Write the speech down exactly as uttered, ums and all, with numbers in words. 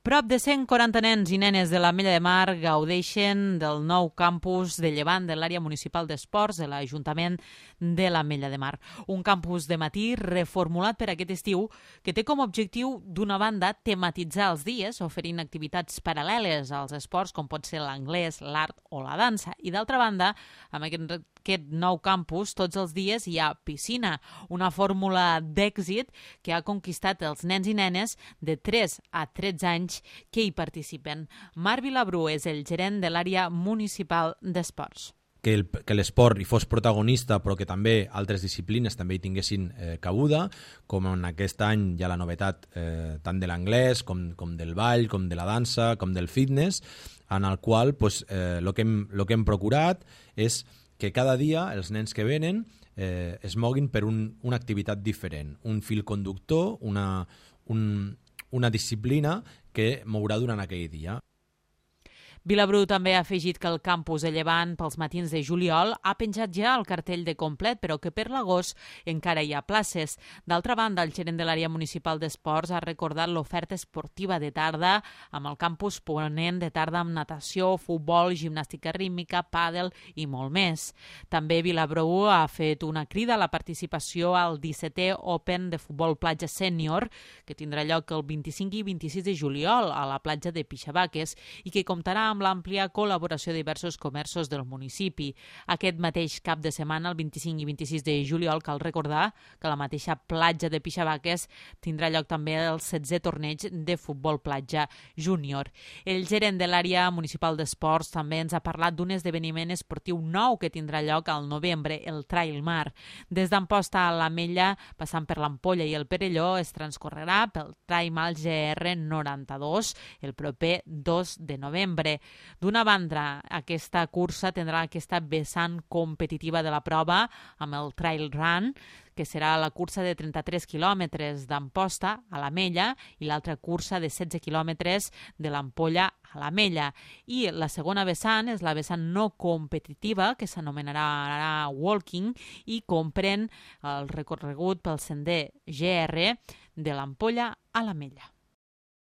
Prop de cent quaranta nens i nenes de l'Ametlla de Mar gaudeixen del nou campus de Llevant de l'àrea municipal d'esports de l'Ajuntament de l'Ametlla de Mar. Un campus de matí reformulat per aquest estiu que té com a objectiu, d'una banda, tematitzar els dies, oferint activitats paral·leles als esports com pot ser l'anglès, l'art o la dansa. I d'altra banda, amb aquest aquest nou campus, tots els dies hi ha piscina, una fórmula d'èxit que ha conquistat els nens i nenes de tres a tretze anys que hi participen. Marc Vilabru és el gerent de l'àrea municipal d'esports. Que, el, que l'esport hi fos protagonista, però que també altres disciplines també hi tinguessin eh, cabuda, com en aquest any hi ha la novetat eh, tant de l'anglès com, com del ball, com de la dansa, com del fitness, en el qual pues, eh, lo que hem, lo que hem procurat és que cada dia els nens que venen eh, es moguin per un, una activitat diferent, un fil conductor, una, un, una disciplina que mourà durant aquell dia. Vilabru també ha afegit que el campus de Llevant pels matins de juliol ha penjat ja el cartell de complet, però que per l'agost encara hi ha places. D'altra banda, el gerent de l'àrea municipal d'esports ha recordat l'oferta esportiva de tarda amb el campus ponent de tarda amb natació, futbol, gimnàstica rítmica, pàdel i molt més. També Vilabru ha fet una crida a la participació al dissetè Open de futbol platja sènior, que tindrà lloc el vint-i-cinc i vint-i-sis de juliol a la platja de Pixabaques i que comptarà amb amb l'àmplia col·laboració de diversos comerços del municipi. Aquest mateix cap de setmana, el vint-i-cinc i vint-i-sis de juliol, cal recordar que la mateixa platja de Pixabaques tindrà lloc també el setzè torneig de futbol platja júnior. El gerent de l'àrea municipal d'esports també ens ha parlat d'un esdeveniment esportiu nou que tindrà lloc al novembre, el Trail Mar. Des d'Amposta a l'Ametlla, passant per l'Ampolla i el Perelló, es transcorrerà pel Trail Mar G R noranta-dos el proper dos de novembre. D'una banda, aquesta cursa tindrà aquesta vessant competitiva de la prova amb el Trail Run, que serà la cursa de trenta-tres quilòmetres d'Amposta a l'Ametlla i l'altra cursa de setze quilòmetres de l'Ampolla a l'Ametlla. I la segona vessant és la vessant no competitiva, que s'anomenarà Walking i comprèn el recorregut pel sender G R de l'Ampolla a l'Ametlla.